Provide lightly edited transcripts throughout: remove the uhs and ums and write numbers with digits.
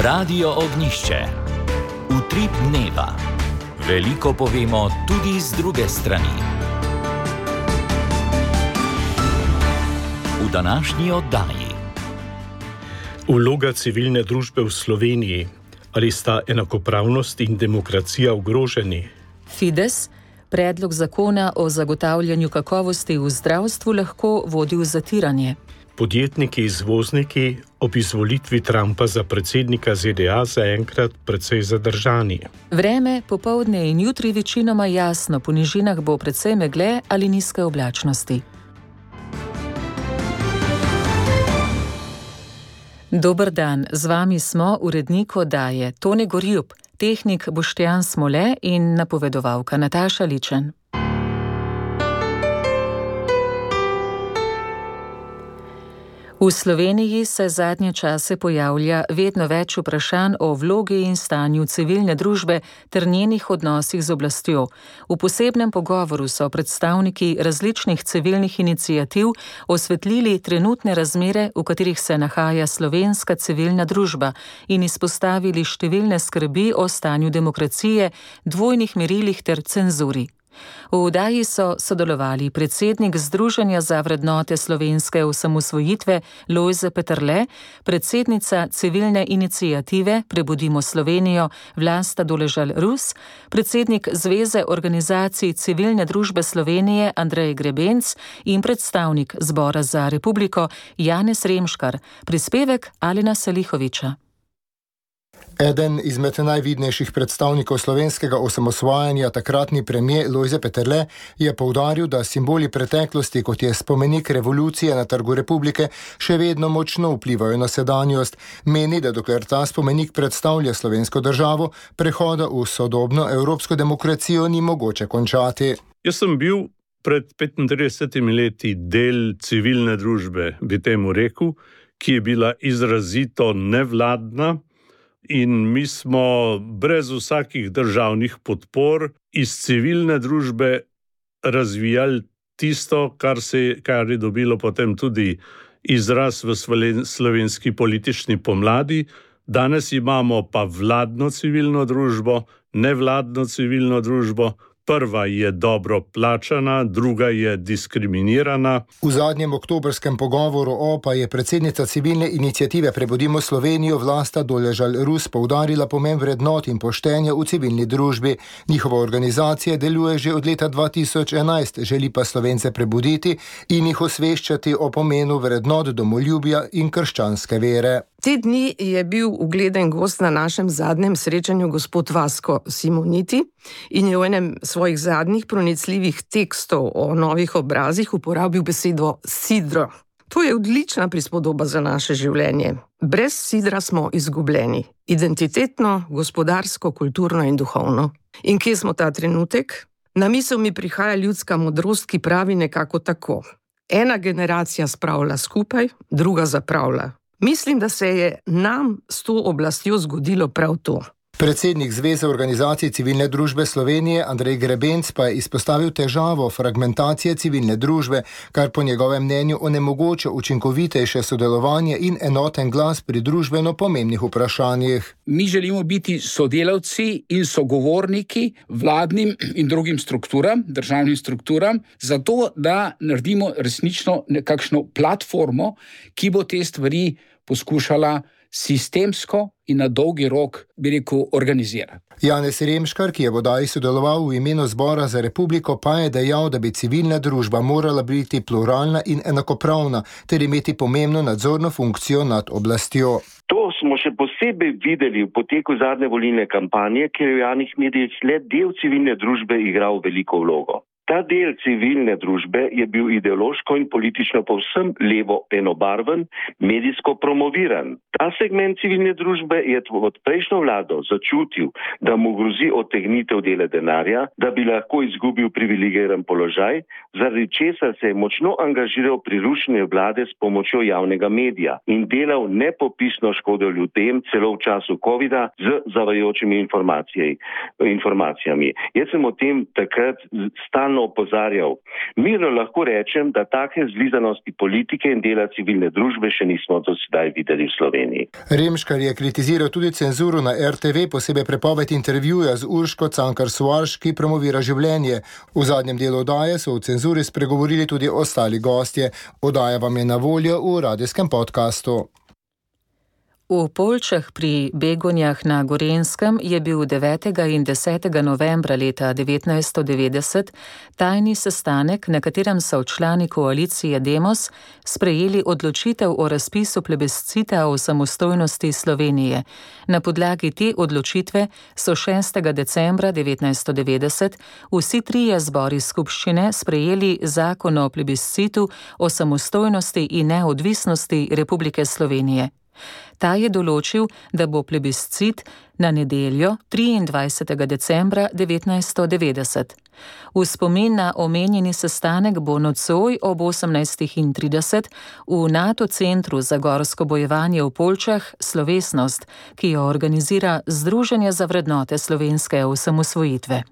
Radio Ognišče. Utrip dneva. Veliko povemo tudi z druge strani. V današnji oddaji. Vloga civilne družbe v Sloveniji. Ali sta enakopravnost in demokracija ogroženi? Fides, predlog zakona o zagotavljanju kakovosti v zdravstvu lahko vodi v zatiranje. Podjetniki izvozniki ob izvolitvi Trumpa za predsednika ZDA zaenkrat precej zadržani. Vreme, popoldne in jutri večinoma jasno, po nižinah bo precej megle ali nizke oblačnosti. Dober dan, z vami smo urednik oddaje Tone Gorjup, tehnik Boštjan Smole in napovedovalka Nataša Ličen. V Sloveniji se zadnje čase pojavlja vedno več vprašanj o vlogi in stanju civilne družbe ter njenih odnosih z oblastjo. V posebnem pogovoru so predstavniki različnih civilnih iniciativ osvetlili trenutne razmere, v katerih se nahaja slovenska civilna družba, in izpostavili številne skrbi o stanju demokracije, dvojnih merilih ter cenzuri. V oddaji so sodelovali predsednik Združenja za vrednote slovenske osamosvojitve Lojze Peterle, predsednica civilne iniciative Prebudimo Slovenijo Vlasta Doležal-Rus, predsednik Zveze organizacij civilne družbe Slovenije Andrej Grebenc in predstavnik Zbora za republiko Janez Remškar. Prispevek Alena Salihoviča. Eden izmed najvidnejših predstavnikov slovenskega osamosvajanja, takratni premier Lojze Peterle, je poudaril, da simboli preteklosti, kot je spomenik revolucije na Trgu Republike, še vedno močno vplivajo na sedanjost. Meni, da dokler ta spomenik predstavlja slovensko državo, prehoda v sodobno evropsko demokracijo ni mogoče končati. Jaz sem bil pred 35 leti del civilne družbe, bi temu rekel, ki je bila izrazito nevladna, in mi smo brez vsakih državnih podpor iz civilne družbe razvijali tisto, kar je dobilo potem tudi izraz v slovenski politični pomladi. Danes imamo pa vladno civilno družbo, nevladno civilno družbo. Prva je dobro plačana, druga je diskriminirana. V zadnjem oktobrskem pogovoru pa je predsednica civilne iniciative Prebudimo Slovenijo Vlasta Doležal-Rus poudarila pomen vrednot in poštenja v civilni družbi. Njihova organizacija deluje že od leta 2011, želi pa Slovence prebuditi in jih osveščati o pomenu vrednot domoljubja in krščanske vere. Te dni je bil ugleden gost na našem zadnjem srečanju gospod Vasko Simoniti in je v enem svojih zadnjih pronicljivih tekstov o novih obrazih uporabil besedo sidro. To je odlična prispodoba za naše življenje. Brez sidra smo izgubljeni. Identitetno, gospodarsko, kulturno in duhovno. In kje smo ta trenutek? Na misel mi prihaja ljudska modrost, ki pravi nekako tako. Ena generacija spravlja skupaj, druga zapravlja. Mislim, da se je nam s to oblastjo zgodilo prav to. Predsednik Zveze organizacij civilne družbe Slovenije Andrej Grebenc pa je izpostavil težavo fragmentacije civilne družbe, kar po njegovem mnenju onemogoča učinkovitejše sodelovanje in enoten glas pri družbeno pomembnih vprašanjih. Mi želimo biti sodelavci in sogovorniki vladnim in drugim strukturam, državnim strukturam, zato da naredimo resnično nekakšno platformo, ki bo te stvari poskušala sistemsko in na dolgi rok, bi rekel, organizirati. Janez Remškar, ki je v oddaji sodeloval v imenu Zbora za republiko, pa je dejal, da bi civilna družba morala biti pluralna in enakopravna, ter imeti pomembno nadzorno funkcijo nad oblastjo. To smo še posebej videli v poteku zadnje volilne kampanje, kjer je v javnih medijih le del civilne družbe igral veliko vlogo. Ta del civilne družbe je bil ideološko in politično povsem levo enobarven, medijsko promoviran. Ta segment civilne družbe je od prejšnjo vlado začutil, da mu grozi odtegnitev dela denarja, da bi lahko izgubil privilegiran položaj, zaradi česar se je močno angažiral pri rušenju vlade s pomočjo javnega medija in delal nepopisno škodo ljudem, celo v času covida, z zavajajočimi informacijami. Jaz sem o tem takrat stalno stalno opozarjal. Mirno lahko rečem, da take zlizanosti politike in dela civilne družbe še nismo do sedaj videli v Sloveniji. Remškar je kritiziral tudi cenzuro na RTV, posebej prepoved intervjuja z Urško Cankar-Soarš, ki promovira življenje. V zadnjem delu oddaje so o cenzuri spregovorili tudi ostali gostje. Oddaja vam je na voljo v radijskem podkastu. V Poljčah pri Begonjah na Gorenjskem je bil 9. in 10. novembra leta 1990 tajni sestanek, na katerem so člani koalicije Demos sprejeli odločitev o razpisu plebiscita o samostojnosti Slovenije. Na podlagi te odločitve so 6. decembra 1990 vsi trije zbori skupščine sprejeli zakon o plebiscitu o samostojnosti in neodvisnosti Republike Slovenije. Ta je določil, da bo plebiscit na nedeljo 23. decembra 1990. V spomin na omenjeni sestanek bo nocoj ob 18:30 v NATO centru za gorsko bojevanje v Poljčah slovesnost, ki jo organizira Združenje za vrednote slovenske osamosvojitve.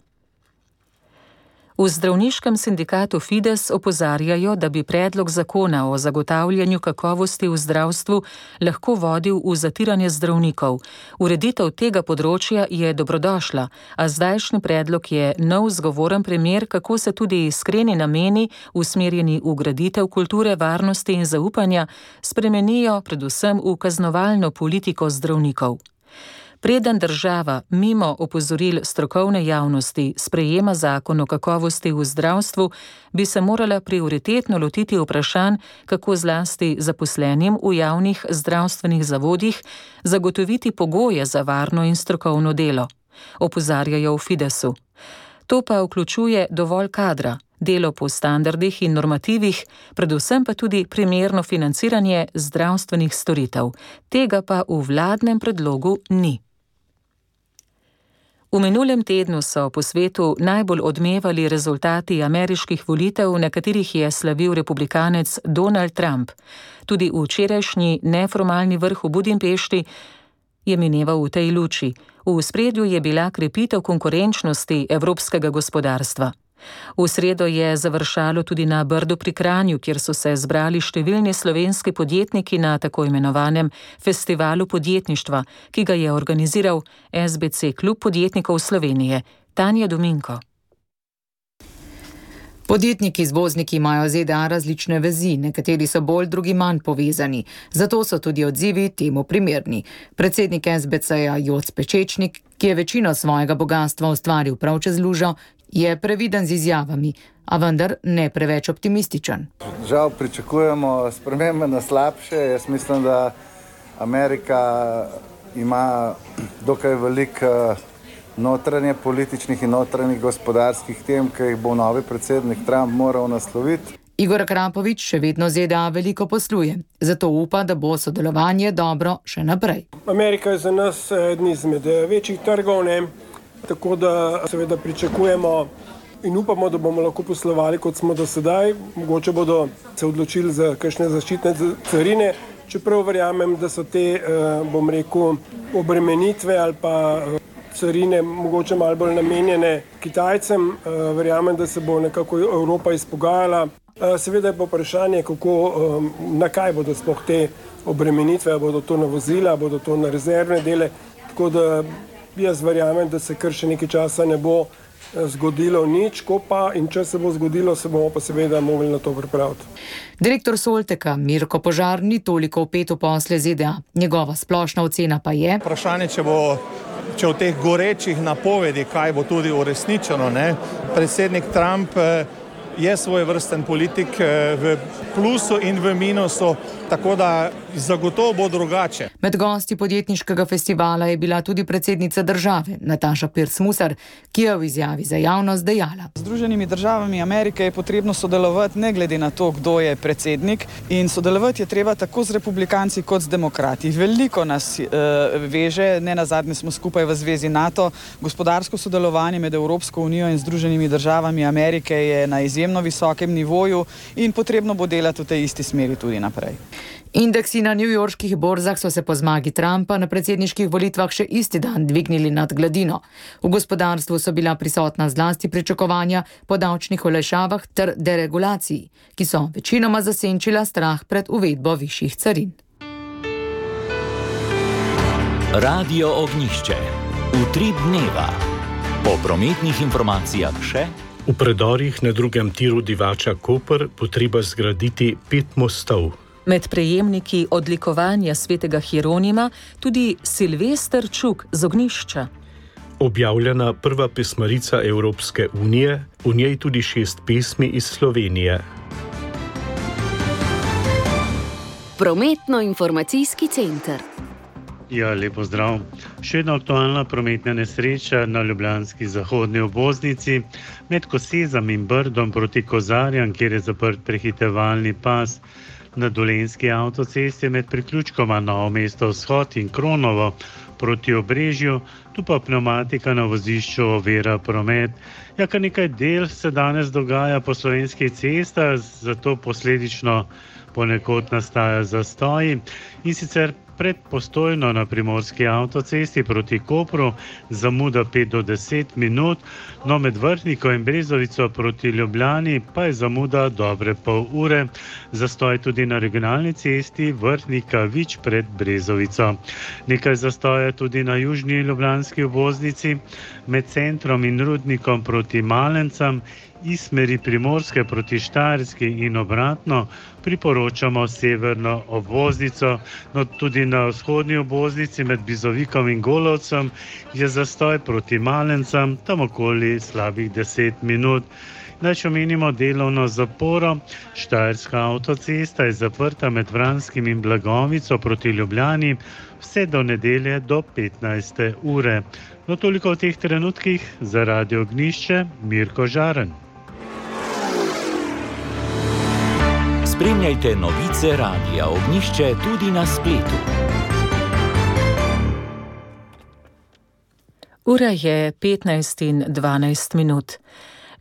V zdravniškem sindikatu Fides opozarjajo, da bi predlog zakona o zagotavljanju kakovosti v zdravstvu lahko vodil v zatiranje zdravnikov. Ureditev tega področja je dobrodošla, a zdajšnji predlog je nov zgovoren primer, kako se tudi iskreni nameni, usmerjeni v graditev kulture varnosti in zaupanja, spremenijo predvsem v kaznovalno politiko zdravnikov. Preden država mimo opozoril strokovne javnosti sprejema zakon o kakovosti v zdravstvu, bi se morala prioritetno lotiti vprašanj, kako zlasti zaposlenim v javnih zdravstvenih zavodih zagotoviti pogoje za varno in strokovno delo, opozarjajo v Fidesu. To pa vključuje dovolj kadra, delo po standardih in normativih, predvsem pa tudi primerno financiranje zdravstvenih storitev. Tega pa v vladnem predlogu ni. V minulem tednu so po svetu najbolj odmevali rezultati ameriških volitev, na katerih je slavil republikanec Donald Trump. Tudi včerajšnji neformalni vrh v Budimpešti je mineval v tej luči. V ospredju je bila krepitev konkurenčnosti evropskega gospodarstva. V sredo je završalo tudi na Brdu pri Kranju, kjer so se zbrali številni slovenski podjetniki na tako imenovanem festivalu podjetništva, ki ga je organiziral SBC Klub podjetnikov Slovenije. Tanja Dominko. Podjetniki izvozniki imajo ZDA različne vezi, nekateri so bolj, drugi manj povezani. Zato so tudi odzivi temu primerni. Predsednik SBC-ja Joc Pečečnik, ki je večino svojega bogatstva ustvaril prav čez lužo, je previden z izjavami, a vendar ne preveč optimističen. Žal pričakujemo spremembe na slabše. Jaz mislim, da Amerika ima dokaj veliko notranje političnih in notranjih gospodarskih tem, ki jih bo novi predsednik Trump moral nasloviti. Igor Krapovič še vedno ZDA veliko posluje, zato upa, da bo sodelovanje dobro še naprej. Amerika je za nas eden izmed večjih trgov, tako da seveda pričakujemo in upamo, da bomo lahko poslovali, kot smo do sedaj. Mogoče bodo se odločili za kakšne zaščitne carine, čeprav verjamem, da so te, bom rekel, obremenitve ali pa carine mogoče malo bolj namenjene Kitajcem. Verjamem, da se bo nekako Evropa izpogajala. Seveda je pa vprašanje, na kaj bodo sploh te obremenitve, bodo to na vozila, bodo to na rezervne dele, tako da jaz verjamem, da se kar še nekaj časa ne bo zgodilo nič, ko pa in če se bo zgodilo, se bomo pa seveda mogli na to pripraviti. Direktor Solteka Mirko Požar ni toliko vpet v posle ZDA. Njegova splošna ocena pa je: vprašanje, če v teh gorečih napovedi, kaj bo tudi uresničeno, predsednik Trump je svojevrsten politik v plusu in v minusu, tako da zagotovo bo drugače. Med gosti podjetniškega festivala je bila tudi predsednica države, Nataša Pirc-Musar, ki je v izjavi za javnost dejala: Z Združenimi državami Amerike je potrebno sodelovati ne glede na to, kdo je predsednik, in sodelovati je treba tako z republikanci kot z demokrati. Veliko nas veže, ne nazadnje smo skupaj v zvezi NATO. Gospodarsko sodelovanje med Evropsko unijo in Združenimi državami Amerike je na izjemno visokem nivoju in potrebno bo delati v tej isti smeri tudi naprej. Indeksi na newyorških borzah so se po zmagi Trumpa na predsedniških volitvah še isti dan dvignili nad gladino. V gospodarstvu so bila prisotna zlasti pričakovanja po davčnih olajšavah ter deregulaciji, ki so večinoma zasenčila strah pred uvedbo višjih carin. Radio Ognjišče. Utrip dneva. Po prometnih informacijah še. V predorih na drugem tiru Divača Koper bo treba zgraditi 5 mostov. Med prejemniki odlikovanja svetega Hieronima tudi Silvester Čuk z Ognjišča. Objavljena prva pesmarica Evropske unije, v njej tudi 6 pesmi iz Slovenije. Prometno-informacijski center. Ja, lepo zdrav. Še ena aktualna prometna nesreča na ljubljanski zahodni obvoznici med Kosezam in Brdom proti Kozarjam, kjer je zaprt prehitevalni pas. Na Dolenjski avtocesti med priključkoma Novo mesto Vzhod in Kronovo proti Obrežju, tu pa pneumatika na vozišču ovira promet. Ja, kar nekaj del se danes dogaja po slovenskih cestah, zato posledično ponekod nastaja zastoji, in sicer pred Postojno na primorski avtocesti proti Kopru zamuda 5 do 10 minut, no med Vrhniko in Brezovico proti Ljubljani pa je zamuda dobre pol ure. Zastoj tudi na regionalni cesti Vrhnika-Vič pred Brezovico. Nekaj zastoja tudi na južni ljubljanski obvoznici med centrom in Rudnikom proti Malencam, iz smeri Primorske proti Štajerski in obratno priporočamo severno obvoznico, no tudi na vzhodni obvoznici med Bizovikom in Golovcem je zastoj proti Malencam, tam okoli slabih 10 minut. Če omenimo delovno zaporo, Štajerska avtocesta je zaprta med Vranskim in Blagovico proti Ljubljani vse do nedelje do 15. ure. No toliko v teh trenutkih, za Radio Ognjišče, Mirko Žaren. Spremljajte novice Radia Ognjišče tudi na spletu. Ura je 15:12 minut.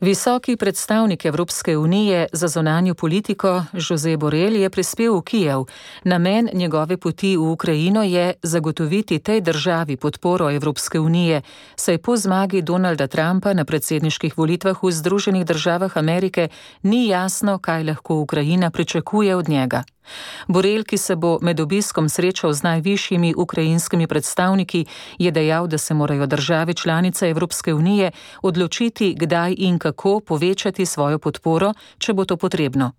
Visoki predstavnik Evropske unije za zunanjo politiko Josep Borrell je prispel v Kijev. Namen njegove poti v Ukrajino je zagotoviti tej državi podporo Evropske unije, saj po zmagi Donalda Trumpa na predsedniških volitvah v Združenih državah Amerike ni jasno, kaj lahko Ukrajina pričakuje od njega. Borrell, ki se bo med obiskom srečal z najvišjimi ukrajinskimi predstavniki, je dejal, da se morajo države članice Evropske unije odločiti, kdaj in kako povečati svojo podporo, če bo to potrebno.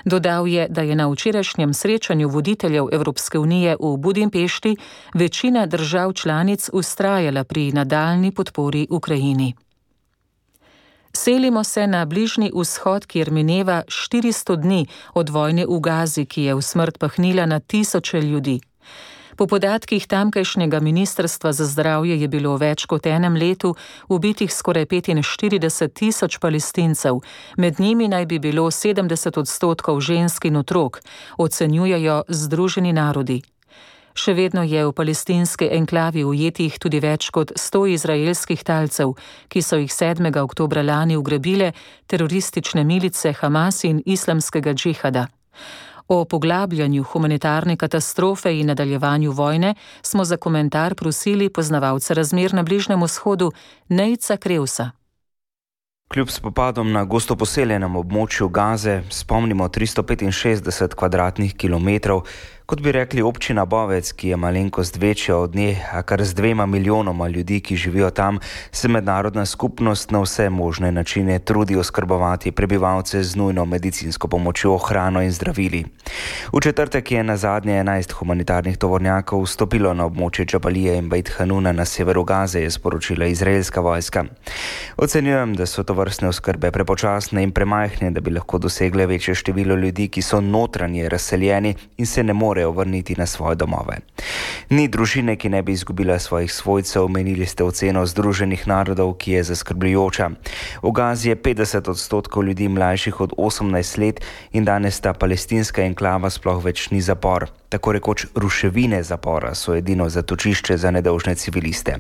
Dodal je, da je na včerajšnjem srečanju voditeljev Evropske unije v Budimpešti večina držav članic vztrajala pri nadaljnji podpori Ukrajini. Selimo se na Bližnji vzhod, kjer mineva 400 dni od vojne v Gazi, ki je v smrt pahnila na tisoče ljudi. Po podatkih tamkajšnjega ministrstva za zdravje je bilo več kot enem letu ubitih skoraj 45.000 Palestincev, med njimi naj bi bilo 70% žensk in otrok, ocenjujejo Združeni narodi. Še vedno je v palestinski enklavi ujetih tudi več kot 100 izraelskih talcev, ki so jih 7. oktobra lani ugrabile teroristične milice Hamas in islamskega džihada. O poglabljanju humanitarne katastrofe in nadaljevanju vojne smo za komentar prosili poznavalca razmer na Bližnjem vzhodu Nejca Krevsa. Kljub spopadom na gosto poseljenem območju Gaze, spomnimo 365 kvadratnih kilometrov, kot bi rekli občina Bovec, ki je malenkost večja od nje, a kar z 2 milijonoma ljudi, ki živijo tam, se mednarodna skupnost na vse možne načine trudi oskrbovati prebivalce z nujno medicinsko pomočjo, hrano in zdravili. V četrtek je nazadnje 11 humanitarnih tovornjakov vstopilo na območje Džabalije in Bejt Hanuna na severu Gaze, je sporočila izraelska vojska. Ocenjujem, da so tovrstne oskrbe prepočasne in premajhne, da bi lahko dosegle večje število ljudi, ki so notranje razseljeni in se ne morejo vrniti na svoje domove. Ni družine, ki ne bi izgubila svojih svojcev, menili ste oceno Združenih narodov, ki je zaskrbljujoča. V Gazi je 50% ljudi mlajših od 18 let in danes ta palestinska enklava sploh več ni zapor. Tako rekoč ruševine zapora so edino zatočišče za nedolžne civiliste.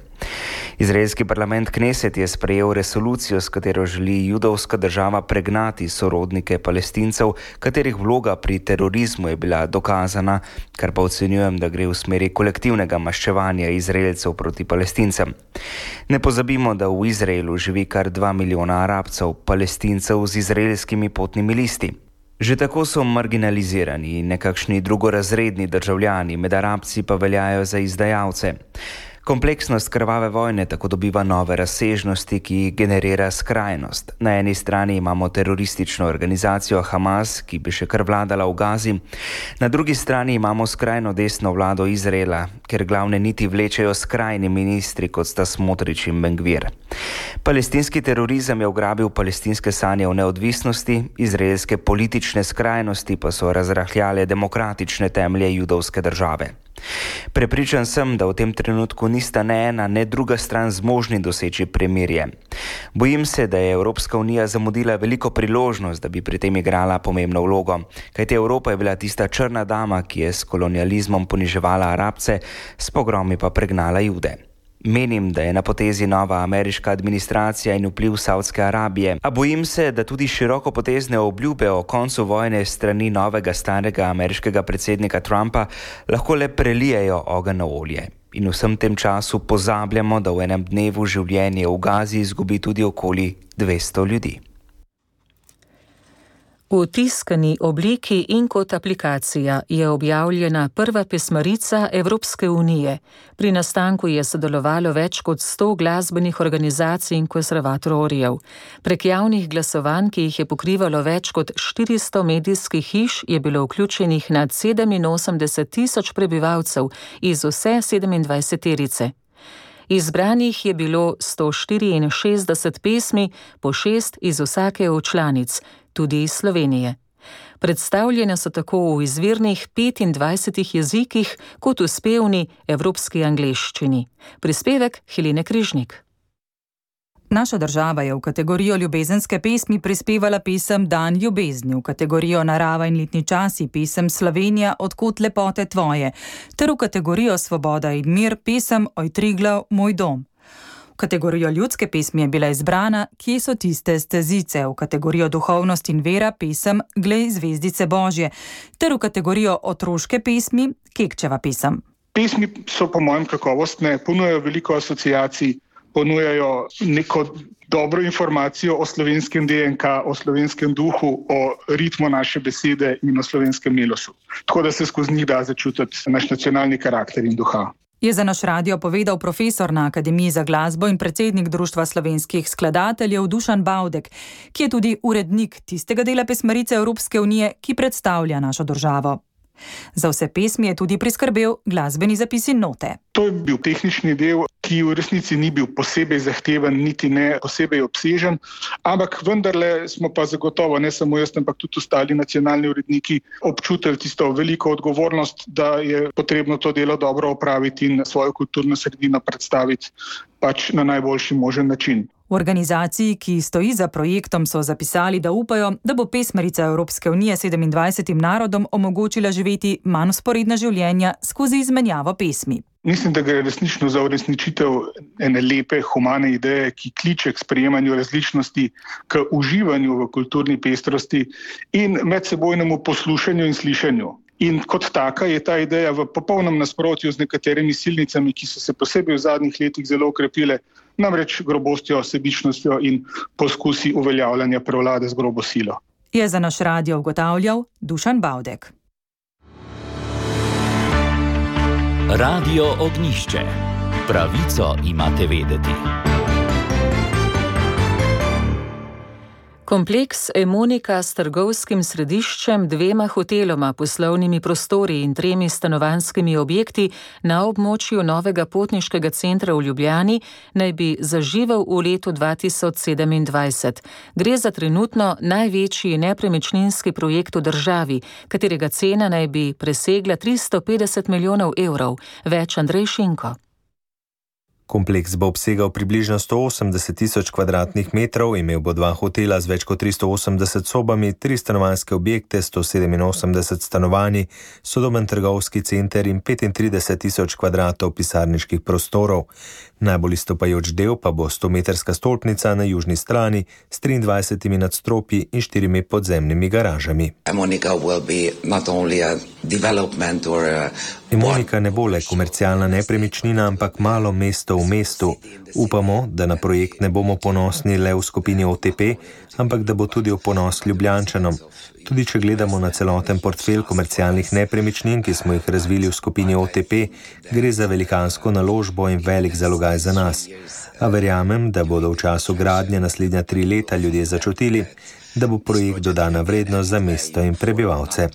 Izraelski parlament Kneset je sprejel resolucijo, s katero želi judovska država pregnati sorodnike Palestincev, katerih vloga pri terorizmu je bila dokazana, kar pa ocenjujem, da gre v smeri kolektivnega maščevanja Izraelcev proti Palestincem. Ne pozabimo, da v Izraelu živi kar 2 milijona Arabcev, Palestincev z izraelskimi potnimi listi. Že tako so marginalizirani in nekakšni drugorazredni državljani, med Arabci pa veljajo za izdajalce. Kompleksnost krvave vojne tako dobiva nove razsežnosti, ki jih generira skrajnost. Na eni strani imamo teroristično organizacijo Hamas, ki bi še kar vladala v Gazi. Na drugi strani imamo skrajno desno vlado Izraela, ker glavne niti vlečejo skrajni ministri, kot sta Smotrič in Ben-Gvir. Palestinski terorizem je ugrabil palestinske sanje o neodvisnosti, izraelske politične skrajnosti pa so razrahljale demokratične temelje judovske države. Prepričan sem, da v tem trenutku nista ne ena, ne druga stran zmožni doseči premirje. Bojim se, da je Evropska unija zamudila veliko priložnost, da bi pri tem igrala pomembno vlogo, kajti Evropa je bila tista črna dama, ki je s kolonializmom poniževala Arabce, s pogromi pa pregnala Jude. Menim, da je na potezi nova ameriška administracija in vpliv Saudske Arabije, a bojim se, da tudi širokopotezne obljube o koncu vojne strani novega starega ameriškega predsednika Trumpa lahko le prelijejo ogenj na olje. In v vsem tem času pozabljamo, da v enem dnevu življenje v Gazi izgubi tudi okoli 200 ljudi. V tiskani obliki in kot aplikacija je objavljena prva pesmarica Evropske unije. Pri nastanku je sodelovalo več kot 100 glasbenih organizacij in konservatorjev. Prek javnih glasovanj, ki jih je pokrivalo več kot 400 medijskih hiš, je bilo vključenih nad 87.000 prebivalcev iz vse 27-terice. Izbranih je bilo 164 pesmi, po 6 iz vsake od članic, tudi iz Slovenije. Predstavljene so tako v izvirnih 25 jezikih kot v spevni evropski angleščini. Prispevek Helene Križnik. Naša država je v kategorijo ljubezenske pesmi prispevala pesem Dan ljubezni, v kategorijo Narava in letni časi pesem Slovenija, odkot lepote tvoje, ter v kategorijo Svoboda in mir pesem Oj Triglav, moj dom. V kategorijo ljudske pesmi je bila izbrana Kje so tiste stezice, v kategorijo duhovnost in vera pesem Glej zvezdice Božje, ter v kategorijo otroške pesmi Kekčeva pesem. Pesmi so po mojem kakovostne, ponujajo veliko asociacij, ponujajo neko dobro informacijo o slovenskem DNK, o slovenskem duhu, o ritmu naše besede in o slovenskem milosu. Tako da se skozi njih da začutiti naš nacionalni karakter in duha. Je za naš radio povedal profesor na Akademiji za glasbo in predsednik Društva slovenskih skladateljev Dušan Bavdek, ki je tudi urednik tistega dela pesmarice Evropske unije, ki predstavlja našo državo. Za vse pesmi je tudi priskrbel glasbeni zapis in note. To je bil tehnični del, ki v resnici ni bil posebej zahteven, niti ne posebej obsežen, ampak vendarle smo pa zagotovo, ne samo jaz, ampak tudi ostali nacionalni uredniki občutili tisto veliko odgovornost, da je potrebno to delo dobro opraviti in svojo kulturno sredino predstaviti pač na najboljši možen način. V organizaciji, ki stoji za projektom, so zapisali, da upajo, da bo pesmarica Evropske unije 27 narodom omogočila živeti manj vzporedna življenja skozi izmenjavo pesmi. Mislim, da gre resnično za uresničitev ene lepe, humane ideje, ki kliče k sprejemanju različnosti, k uživanju v kulturni pestrosti in medsebojnemu poslušanju in slišanju. In kot taka je ta ideja v popolnem nasprotju z nekaterimi silnicami, ki so se posebej v zadnjih letih zelo okrepile, namreč grobostjo, sebičnostjo in poskusi uveljavljanja prevlade z grobo silo. Je za naš radio ugotavljal Dušan Bavdek. Radio Ognjišče. Pravico imate vedeti. Kompleks Emonika s trgovskim središčem, 2 hoteloma, poslovnimi prostori in 3 stanovanjskimi objekti na območju novega potniškega centra v Ljubljani naj bi zaživel v letu 2027. Gre za trenutno največji nepremičninski projekt v državi, katerega cena naj bi presegla 350 milijonov evrov. Več Andrej Šinko. Kompleks bo obsegal približno 180 tisoč kvadratnih metrov, imel bo 2 hotela z več kot 380 sobami, 3 stanovanjske objekte, 187 stanovanj, sodoben trgovski center in 35 tisoč kvadratov pisarniških prostorov. Najbolj izstopajoč del pa bo 100-metrska stolpnica na južni strani s 23 nadstropji in 4 podzemnimi garažami. Emonika ne bo le komercialna nepremičnina, ampak malo mesto v mestu. Upamo, da na projekt ne bomo ponosni le v skupini OTP, ampak da bo tudi v ponos Ljubljančanom. Tudi če gledamo na celoten portfelj komercialnih nepremičnin, ki smo jih razvili v skupini OTP, gre za velikansko naložbo in velik zalogaj za nas. A verjamem, da bodo v času gradnje naslednja 3 leta ljudje začutili, da bo projekt dodana vrednost za mesto in prebivalce.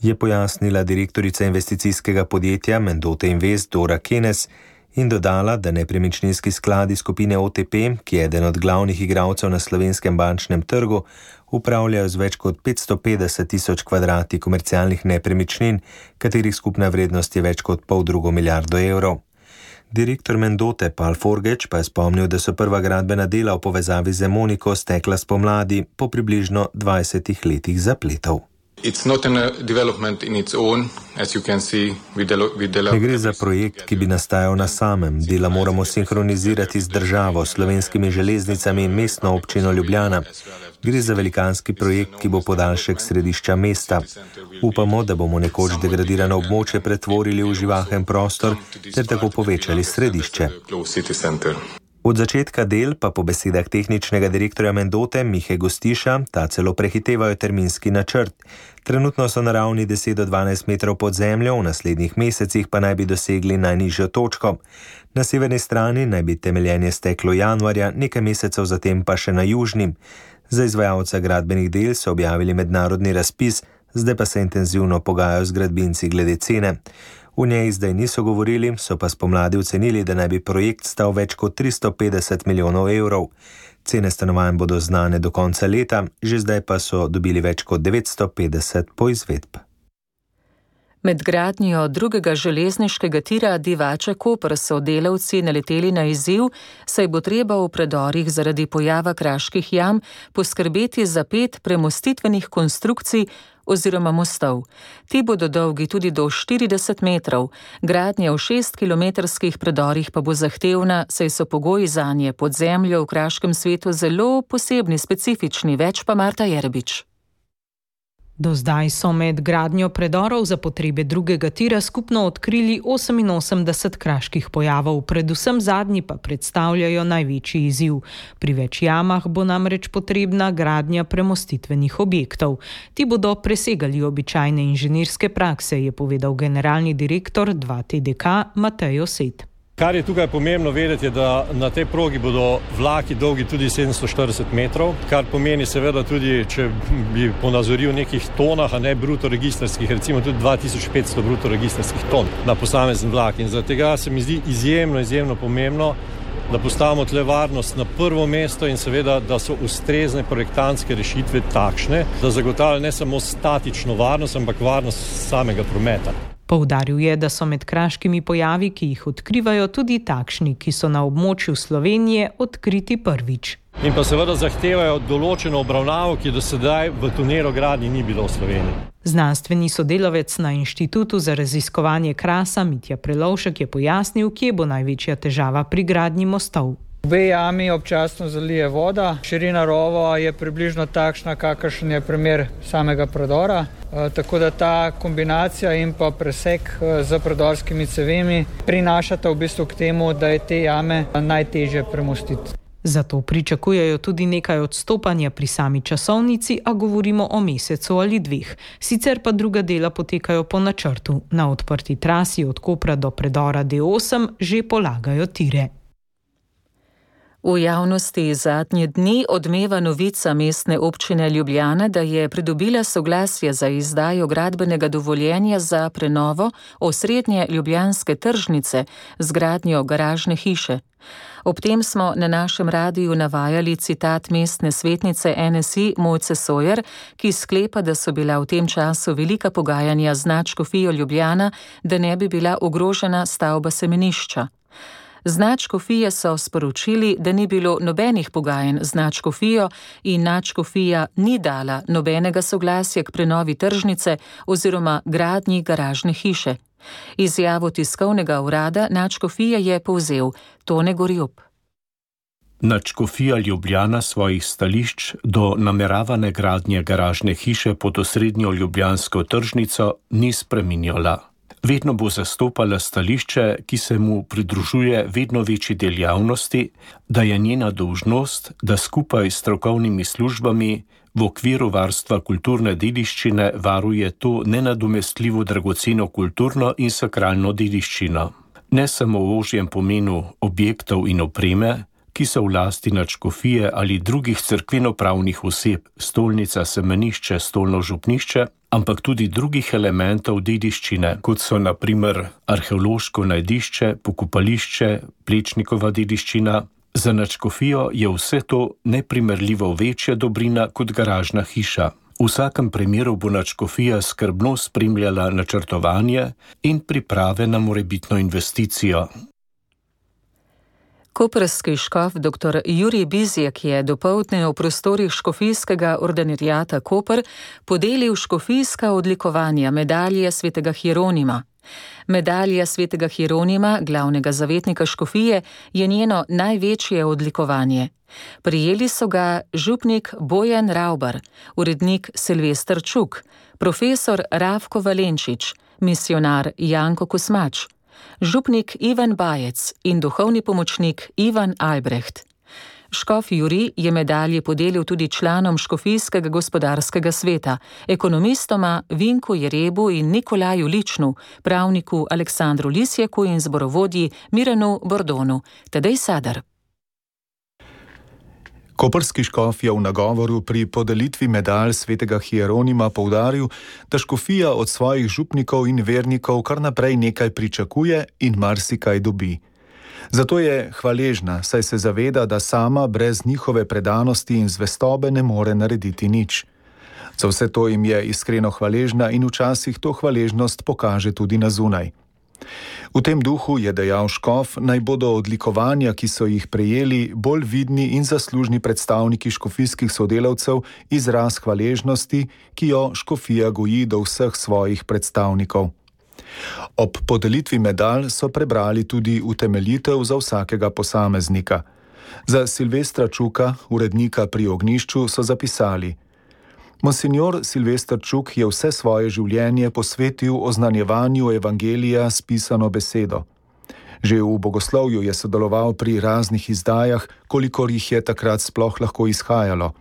Je pojasnila direktorica investicijskega podjetja Mendote Invest Dora Kenes in dodala, da nepremičninski skladi skupine OTP, ki je eden od glavnih igralcev na slovenskem bančnem trgu, upravljajo z več kot 550 tisoč kvadrati komercialnih nepremičnin, katerih skupna vrednost je več kot 500 milijardo evrov. Direktor Mendote Pal Forgeč pa je spomnil, da so prva gradbena dela v povezavi z Emoniko stekla spomladi po približno 20 letih zapletov. Ne gre za projekt, ki bi nastajal na samem. Dela moramo sinhronizirati z državo, slovenskimi železnicami in mestno občino Ljubljana. Gre za velikanski projekt, ki bo podaljšek središča mesta. Upamo, da bomo nekoč degradirano območje pretvorili v živahen prostor ter tako povečali središče. Od začetka del pa po besedah tehničnega direktorja Mendote Mihe Gostiša ta celo prehitevajo terminski načrt. Trenutno so na ravni 10 do 12 metrov pod zemljo, v naslednjih mesecih pa naj bi dosegli najnižjo točko. Na severni strani naj bi temeljenje steklo januarja, nekaj mesecev zatem pa še na južni. Za izvajalca gradbenih del so objavili mednarodni razpis, zdaj pa se intenzivno pogajajo z gradbinci glede cene. V njej zdaj niso govorili, so pa spomladi ocenili, da naj bi projekt stal več kot 350 milijonov evrov. Cene stanovanj bodo znane do konca leta, že zdaj pa so dobili več kot 950 poizvedb. Med gradnjo drugega železniškega tira Divača-Koper so delavci naleteli na izziv, saj bo treba v predorih zaradi pojava kraških jam poskrbeti za 5 premostitvenih konstrukcij oziroma mostov. Ti bodo dolgi tudi do 40 metrov. Gradnja v 6-kilometrskih predorih pa bo zahtevna, saj so pogoji zanje pod zemljo v kraškem svetu zelo posebni, specifični, več pa Marta Jerbič. Do zdaj so med gradnjo predorov za potrebe drugega tira skupno odkrili 88 kraških pojavov, predvsem zadnji pa predstavljajo največji izziv. Pri več jamah bo namreč potrebna gradnja premostitvenih objektov. Ti bodo presegali običajne inženirske prakse, je povedal generalni direktor 2TDK Matej Osed. Kar je tukaj pomembno vedeti, je, da na tej progi bodo vlaki dolgi tudi 740 metrov, kar pomeni seveda tudi, če bi ponazoril nekih tonah, a ne bruto registrskih, recimo tudi 2500 bruto registrskih ton na posamezen vlak. In zaradi tega se mi zdi izjemno pomembno, da postavimo tle varnost na prvo mesto in seveda, da so ustrezne projektantske rešitve takšne, da zagotavljajo ne samo statično varnost, ampak varnost samega prometa. Poudaril je, da so med kraškimi pojavi, ki jih odkrivajo, tudi takšni, ki so na območju Slovenije odkriti prvič. In pa seveda zahtevajo določeno obravnavo, ki do sedaj v tunelogradnji ni bilo v Sloveniji. Znanstveni sodelavec na Inštitutu za raziskovanje krasa Mitja Prelovšek je pojasnil, kje bo največja težava pri gradnji mostov. Obe jami občasno zalije voda. Širina rova je približno takšna, kakršen je primer samega predora. Tako da ta kombinacija in pa presek z predorskimi cevemi prinašata v bistvu k temu, da je te jame najtežje premostiti. Zato pričakujejo tudi nekaj odstopanja pri sami časovnici, a govorimo o mesecu ali 2. Sicer pa druga dela potekajo po načrtu. Na odprti trasi od Kopra do predora D8 že polagajo tire. V javnosti zadnje dni odmeva novica Mestne občine Ljubljana, da je pridobila soglasje za izdajo gradbenega dovoljenja za prenovo osrednje ljubljanske tržnice z gradnjo garažne hiše. Ob tem smo na našem radiju navajali citat mestne svetnice NSI Mojce Sojer, ki sklepa, da so bila v tem času velika pogajanja z nadškofijo Ljubljana, da ne bi bila ogrožena stavba semenišča. Z nadškofije so sporočili, da ni bilo nobenih pogajanj z nadškofijo in nadškofija ni dala nobenega soglasja k prenovi tržnice oziroma gradnji garažne hiše. Izjavo tiskovnega urada nadškofije je povzel Tone Gorjup. Nadškofija Ljubljana svojih stališč do nameravane gradnje garažne hiše pod osrednjo ljubljansko tržnico ni spreminjala. Vedno bo zastopala stališče, ki se mu pridružuje vedno večji del javnosti, da je njena dolžnost, da skupaj s strokovnimi službami v okviru varstva kulturne dediščine varuje to nenadomestljivo dragoceno kulturno in sakralno dediščino. Ne samo v ožjem pomenu objektov in opreme, ki so v lasti nadškofije ali drugih cerkvenopravnih oseb, stolnica, semenišče, stolno župnišče, ampak tudi drugih elementov dediščine, kot so na primer arheološko najdišče, pokopališče, Plečnikova dediščina. Za nadškofijo je vse to neprimerljivo večja dobrina kot garažna hiša. V vsakem primeru bo nadškofija skrbno spremljala načrtovanje in priprave na morebitno investicijo. Koprski škof dr. Jurij Bizjak je dopoldne v prostorih škofijskega ordinariata Koper podelil škofijska odlikovanja medalje svetega Hieronima. Medalja svetega Hieronima, glavnega zavetnika škofije, je njeno največje odlikovanje. Prijeli so ga župnik Bojan Ravbar, urednik Silvester Čuk, profesor Ravko Valenčič, misionar Janko Kosmač, župnik Ivan Bajec in duhovni pomočnik Ivan Albrecht. Škof Jurij je medalje podelil tudi članom škofijskega gospodarskega sveta, ekonomistoma Vinku Jerebu in Nikolaju Ličnu, pravniku Aleksandru Lisjaku in zborovodji Miranu Bordonu. Tadej Sadar. Koprski škof je v nagovoru pri podelitvi medalj svetega Hieronima poudaril, da škofija od svojih župnikov in vernikov kar naprej nekaj pričakuje in marsikaj dobi. Zato je hvaležna, saj se zaveda, da sama brez njihove predanosti in zvestobe ne more narediti nič. Za vse to jim je iskreno hvaležna in včasih to hvaležnost pokaže tudi na zunaj. V tem duhu je dejal škof, naj bodo odlikovanja, ki so jih prejeli, bolj vidni in zaslužni predstavniki škofijskih sodelavcev, izraz hvaležnosti, ki jo škofija goji do vseh svojih predstavnikov. Ob podelitvi medalj so prebrali tudi utemeljitev za vsakega posameznika. Za Silvestra Čuka, urednika pri ognjišču, so zapisali: Monsignor Silvester Čuk je vse svoje življenje posvetil oznanjevanju evangelija s pisano besedo. Že v bogoslovju je sodeloval pri raznih izdajah, kolikor jih je takrat sploh lahko izhajalo.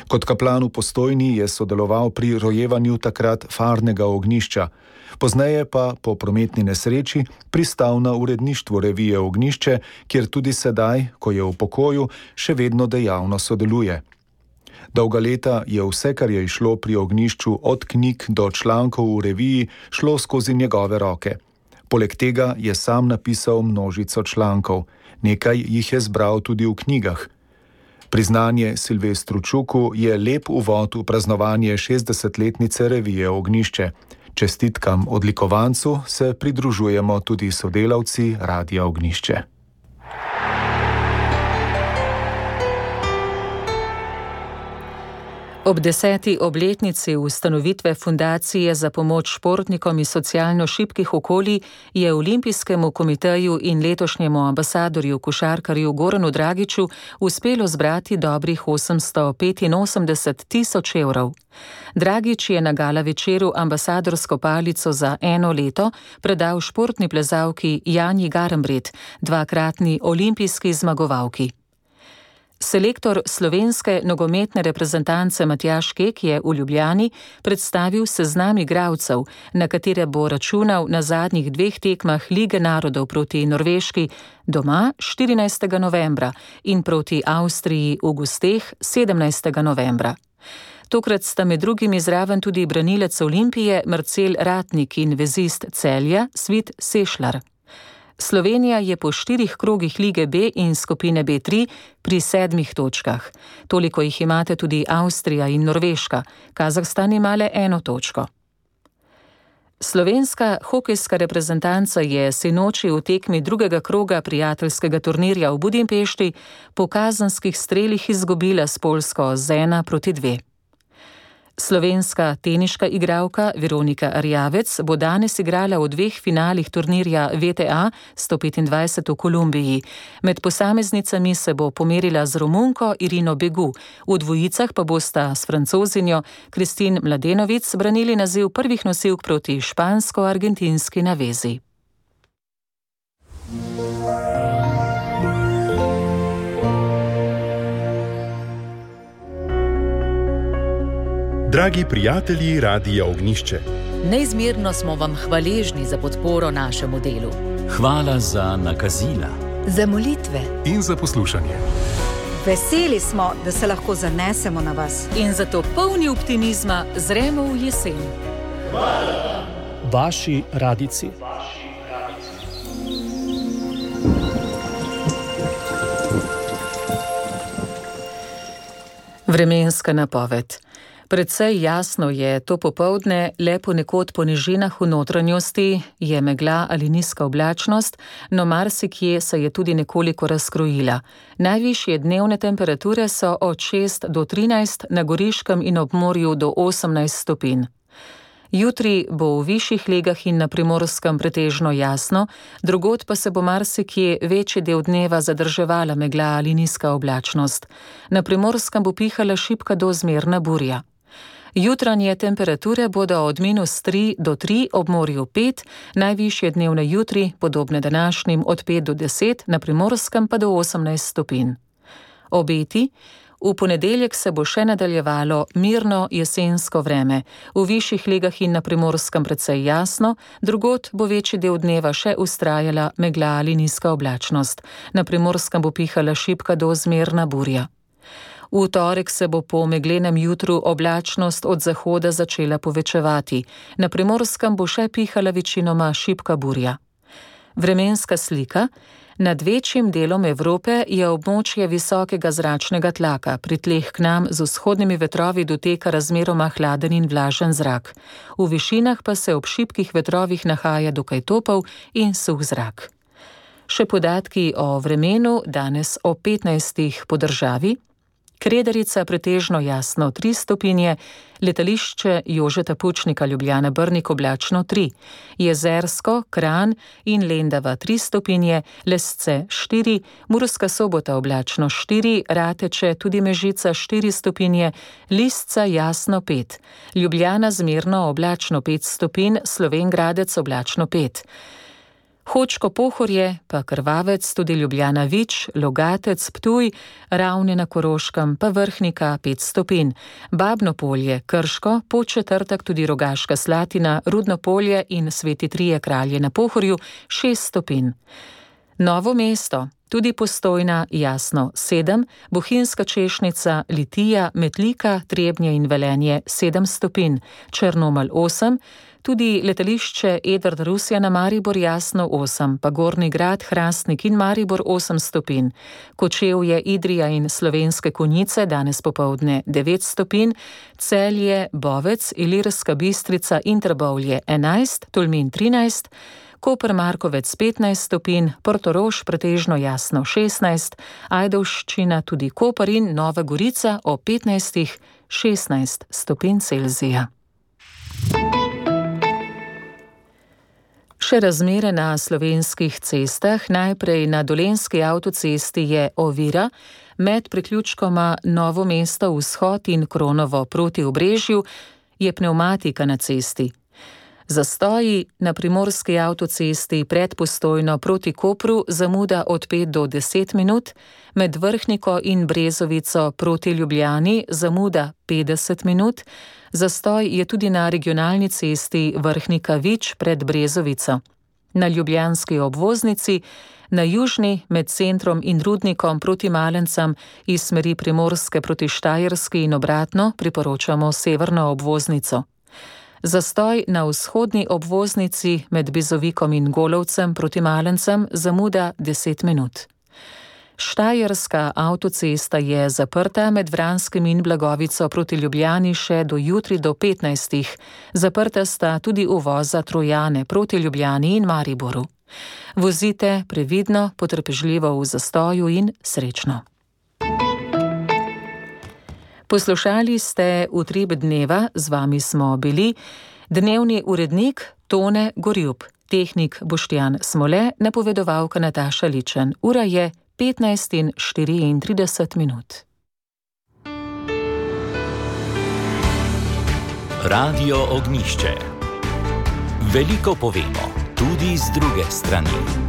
Kot kaplan v Postojni je sodeloval pri rojevanju takrat farnega ognjišča, pozneje pa po prometni nesreči pristal na uredništvu revije Ognjišče, kjer tudi sedaj, ko je v pokoju, še vedno dejavno sodeluje. Dolga leta je vse, kar je išlo pri ognjišču od knjig do člankov v reviji, šlo skozi njegove roke. Poleg tega je sam napisal množico člankov, nekaj jih je zbral tudi v knjigah. Priznanje Silvestru Čuku je lep uvod v praznovanje 60-letnice revije Ognjišče. Čestitkam odlikovancu se pridružujemo tudi sodelavci Radia Ognjišče. Ob 10. obletnici ustanovitve Fundacije za pomoč športnikom iz socialno šibkih okolij je Olimpijskemu komiteju in letošnjemu ambasadorju košarkarju Goranu Dragiću uspelo zbrati dobrih 885.000 evrov. Dragić je na gala večeru ambasadorsko palico za 1 leto predal športni plezalki Janji Garnbret, dvakratni olimpijski zmagovalki. Selektor slovenske nogometne reprezentance Matjaž Kek je v Ljubljani predstavil seznam igralcev, na katere bo računal na zadnjih 2 tekmah Lige narodov proti Norveški doma 14. novembra in proti Avstriji v gosteh 17. novembra. Tokrat sta med drugim zraven tudi branilec Olimpije Marcel Ratnik in vezist Celja Svit Sešlar. Slovenija je po 4 krogih Lige B in skupine B3 pri 7 točkah. Toliko jih imate tudi Avstrija in Norveška. Kazahstan ima le 1 točko. Slovenska hokejska reprezentanca je sinoči v tekmi 2. kroga prijateljskega turnirja v Budimpešti po kazenskih strelih izgubila s Poljsko z 1-2. Slovenska teniška igralka Veronika Arjavec bo danes igrala v 2 finalih turnirja VTA 125 v Kolumbiji. Med posameznicami se bo pomerila z Romunko Irino Begu, v dvojicah pa bosta s Francozinjo Kristin Mladenovic branili naziv prvih nosilk proti špansko-argentinski navezi. Dragi prijatelji Radia Ognjišče, neizmerno smo vam hvaležni za podporo našemu delu. Hvala za nakazila, za molitve in za poslušanje. Veseli smo, da se lahko zanesemo na vas. In zato polni optimizma zremo v jesen. Hvala. Vaši radici. Vremenska napoved. Predvsej jasno je to popoldne, le ponekod po nižinah v notranjosti je megla ali nizka oblačnost, no marsikje se je tudi nekoliko razkrojila. Najvišje dnevne temperature so od 6 do 13, na Goriškem in ob morju do 18 stopinj. Jutri bo v višjih legah in na Primorskem pretežno jasno, drugod pa se bo marsikje večji del dneva zadrževala megla ali nizka oblačnost. Na Primorskem bo pihala šibka do zmerna burja. Jutranje temperature bodo od -3 do 3, ob morju 5, najvišje dnevne jutri, podobne današnjim, od 5 do 10, na Primorskem pa do 18 stopinj. Obeti. V ponedeljek se bo še nadaljevalo mirno jesensko vreme. V višjih legah in na Primorskem precej jasno, drugod bo večji del dneva še vztrajala megla ali nizka oblačnost. Na Primorskem bo pihala šibka do zmerna burja. V torek se bo po meglenem jutru oblačnost od zahoda začela povečevati. Na Primorskem bo še pihala večinoma šibka burja. Vremenska slika. Nad večjim delom Evrope je območje visokega zračnega tlaka, pri tleh k nam z vzhodnimi vetrovi doteka razmeroma hladen in vlažen zrak. V višinah pa se ob šibkih vetrovih nahaja dokaj topel in suh zrak. Še podatki o vremenu danes o 15 po državi. Kredarica pretežno jasno 3 stopinje, letališče Jožeta Pučnika Ljubljana Brnik oblačno 3, Jezersko, Kranj in Lendava 3 stopinje, Lesce 4, Murska Sobota oblačno 4, Rateče tudi Mežica 4 stopinje, Lisca jasno 5, Ljubljana zmerno oblačno 5 stopinj, Slovenj Gradec oblačno 5. Hočko Pohorje, pa Krvavec, tudi Ljubljana Vič, Logatec, Ptuj, Ravne na Koroškem, pa Vrhnika 5 stopinj, Babno Polje, Krško, Podčetrtek tudi Rogaška Slatina, Rudno Polje in Sveti Trije Kralje na Pohorju 6 stopinj. Novo mesto, tudi Postojna jasno 7, Bohinjska Češnica, Litija, Metlika, Trebnje in Velenje 7 stopinj, Črnomelj 8, tudi letališče Edvard Rusjana Maribor jasno 8, pa Gornji Grad, Hrastnik in Maribor 8 stopinj, Kočevje, Idrija in Slovenske Konjice danes popoldne 9 stopinj, Celje, Bovec, Ilirska Bistrica in Trbovlje 11, Tolmin 13, Koper Markovec 15 stopinj, Portorož pretežno jasno 16, Ajdovščina tudi Koper in Nova Gorica o 15-16 stopinj Celzija. Še razmere na slovenskih cestah. Najprej na Dolenjski avtocesti je ovira med priključkoma Novo mesto vzhod in Kronovo proti Obrežju je pnevmatika na cesti. Zastoji na primorski avtocesti pred Postojno proti Kopru zamuda od 5 do 10 minut, med Vrhniko in Brezovico proti Ljubljani zamuda 50 minut, zastoj je tudi na regionalni cesti Vrhnika-Vič pred Brezovico. Na ljubljanski obvoznici, na južni med centrom in Rudnikom proti Malencam iz smeri Primorske proti Štajerski in obratno priporočamo severno obvoznico. Zastoj na vzhodni obvoznici med Bizovikom in Golovcem proti Malencem zamuda 10 minut. Štajerska avtocesta je zaprta med Vranskim in Blagovico proti Ljubljani še do jutri do 15. Zaprta sta tudi uvoza Trojane proti Ljubljani in Mariboru. Vozite previdno, potrpežljivo v zastoju in srečno. Poslušali ste Utrip dneva, z vami smo bili dnevni urednik Tone Gorjup, tehnik Boštjan Smole, napovedovalka Nataša Ličen. Ura je 15:34 minut. Radio Ognjišče. Veliko povemo, tudi z druge strani.